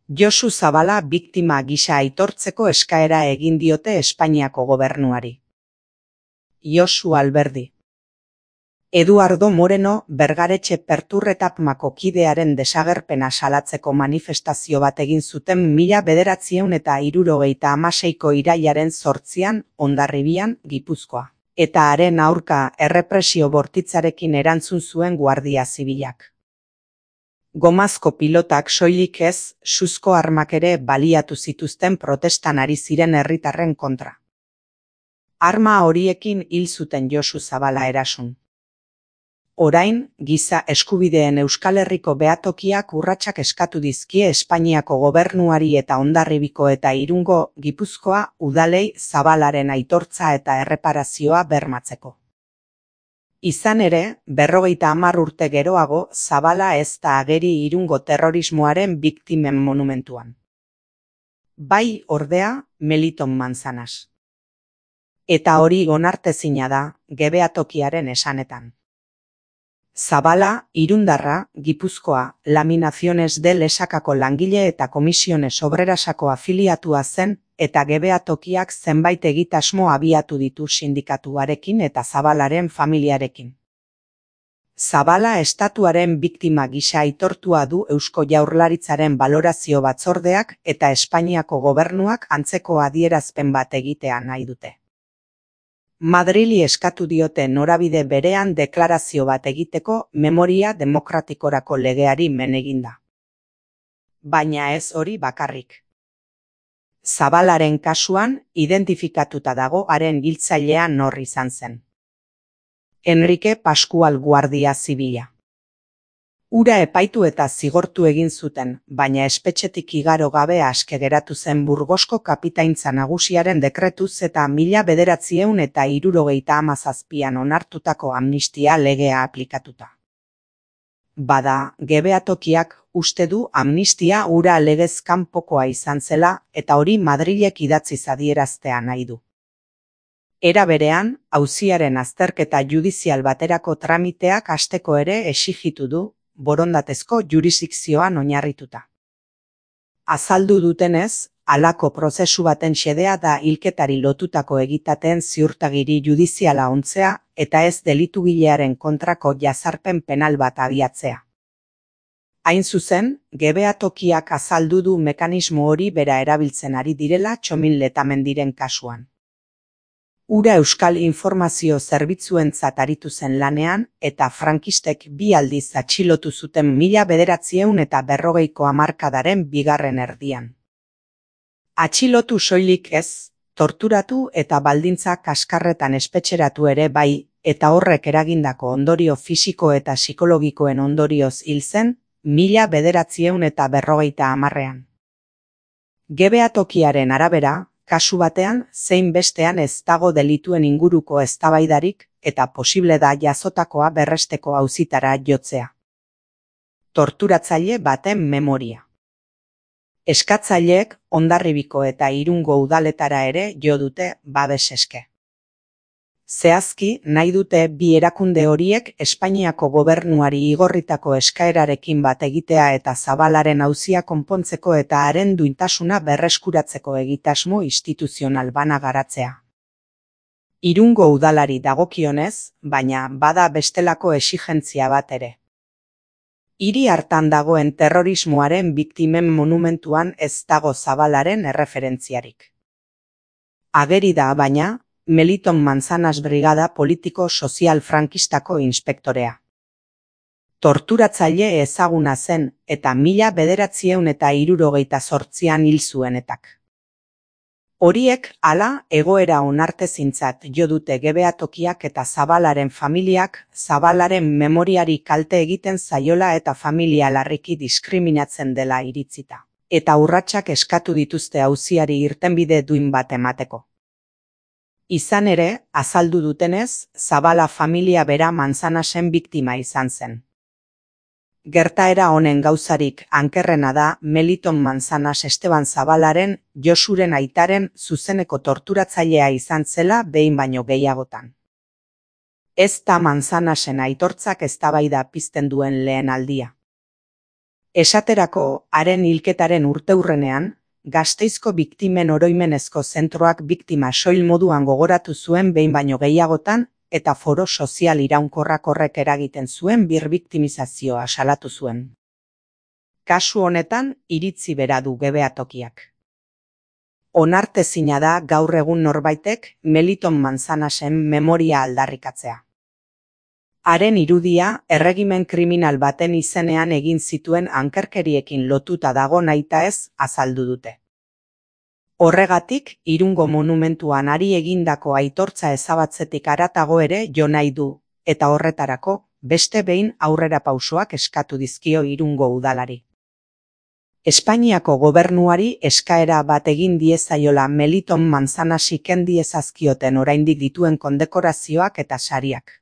Josu Zabala biktima gisa aitortzeko eskaera egin diote Espainiako gobernuari. Josu Alberdi. Eduardo Moreno Bergaretxe Perturretapmako kidearen desagerpena salatzeko manifestazio bat egin zuten 1976ko irailaren 8an Hondarribian, Gipuzkoa. Eta haren aurka errepresio bortitzarekin erantzun zuen Guardia Zibilak. Gomazko pilotak soilik ez, suzko armak ere baliatu zituzten protestan ari ziren herritarren kontra. Arma horiekin hil zuten Josu Zabala erason. Orain, giza eskubideen Euskal Herriko behatokiak urratsak eskatu dizkie Espainiako gobernuari eta Hondarribiko eta Irungo, Gipuzkoa, udalei Zabalaren aitortza eta erreparazioa bermatzeko. Izan ere, 50 urte geroago, Zabala ez da ageri Irungo terrorismoaren biktimen monumentuan. Bai, ordea, Meliton Manzanas. Eta hori onartezina da, gebehatokiaren esanetan. Zabala, irundarra, Gipuzkoa, Laminaciones de Lesakako langile eta Komisiones Obrerasako afiliatua zen, eta gebehatokiak zenbait egitasmo abiatu ditu sindikatuarekin eta Zabalaren familiarekin. Zabala estatuaren biktima gisa aitortua du Eusko Jaurlaritzaren balorazio batzordeak eta Espainiako gobernuak antzeko adierazpen bat egitea nahi dute. Madrili eskatu diote norabide berean deklarazio bat egiteko memoria demokratikorako legeari men eginda. Baina ez hori bakarrik. Zabalaren kasuan, identifikatuta dago haren hiltzailea nor izan zen. Enrique Pascual Guardia Zibila. Hura epaitu eta zigortu egin zuten, baina espetxetik igaro gabe aske geratu zen Burgosko kapitaintza nagusiaren dekretuz eta 1977an onartutako amnistia legea aplikatuta. Bada, gebehatokiak uste du amnistia hura legez kanpokoa izan zela eta hori Madrilek idatziz adieraztea nahi du. Era berean, auziaren azterketa judizial baterako tramiteak hasteko ere exijitu du, borondatezko jurisdikzioan oinarrituta. Azaldu dutenez, halako prozesu baten xedea da hilketari lotutako egitateen ziurtagiri judiziala ontzea eta ez delitugilearen kontrako jazarpen penal bat abiatzea. Hain zuzen, gebehatokiak azaldu du mekanismo hori bera erabiltzen ari direla Txomin Letamendiren kasuan. Hura Euskal Informazio Zerbitzuentzat aritu zen lanean eta frankistek 2 aldiz atxilotu zuten 1940ko hamarkadaren 2. erdian. Atxilotu soilik ez, torturatu eta baldintza kaskarretan espetxeratu ere bai, eta horrek eragindako ondorio fisiko eta psikologikoen ondorioz hil zen 1950an. Gebehatokiaren arabera, kasu batean, zein bestean ez dago delituen inguruko eztabaidarik eta posible da jazotakoa berresteko auzitara jotzea. Torturatzaile baten memoria. Eskatzaileek Hondarribiko eta Irungo udaletara ere jo dute babes eske. Zehazki, nahi dute bi erakunde horiek Espainiako gobernuari igorritako eskaerarekin bat egitea eta Zabalaren auzia konpontzeko eta haren duintasuna berreskuratzeko egitasmo instituzional bana garatzea. Irungo udalari dagokionez, baina bada bestelako exigentzia bat ere. Hiri hartan dagoen terrorismoaren biktimen monumentuan ez dago Zabalaren erreferentziarik. Ageri da, baina, Meliton Manzanas brigada politiko-sozial frankistako inspektorea. Torturatzaile ezaguna zen eta 1978an hil zuenetak. Horiek, hala, egoera onartezintzat jo dute gebehatokiak eta Zabalaren familiak, Zabalaren memoriari kalte egiten zaiola eta familia larriki diskriminatzen dela iritzita. Eta urratsak eskatu dituzte auziari irtenbide duin bat emateko. Izan ere, azaldu dutenez, Zabala familia bera Manzanasen biktima izan zen. Gertaera honen gauzarik ankerrena da Meliton Manzanas Esteban Zabalaren, Josuren aitaren zuzeneko torturatzailea izan zela behin baino gehiagotan. Ez da Manzanasen aitortzak eztabaida pizten duen lehen aldia. Esaterako, haren hilketaren urteurrenean, Gasteizko biktimen oroimenezko zentroak biktima soil moduan gogoratu zuen behin baino gehiagotan eta foro sozial iraunkorrak horrek eragiten zuen birbiktimizazioa salatu zuen. Kasu honetan, iritzi bera du Gebeatokiak. Onartezina da gaur egun norbaitek Meliton Manzanasen memoria aldarrikatzea. Haren irudia erregimen kriminal baten izenean egin zituen ankerkeriekin lotuta dago nahitaez azaldu dute. Horregatik, Irungo monumentuan hari egindako aitortza ezabatzetik haratago ere jo nahi du, eta horretarako, beste behin aurrerapausoak eskatu dizkio Irungo udalari. Espainiako gobernuari eskaera bat egin diezaiola Meliton Manzanasi ken diezazkioten oraindik dituen kondekorazioak eta sariak.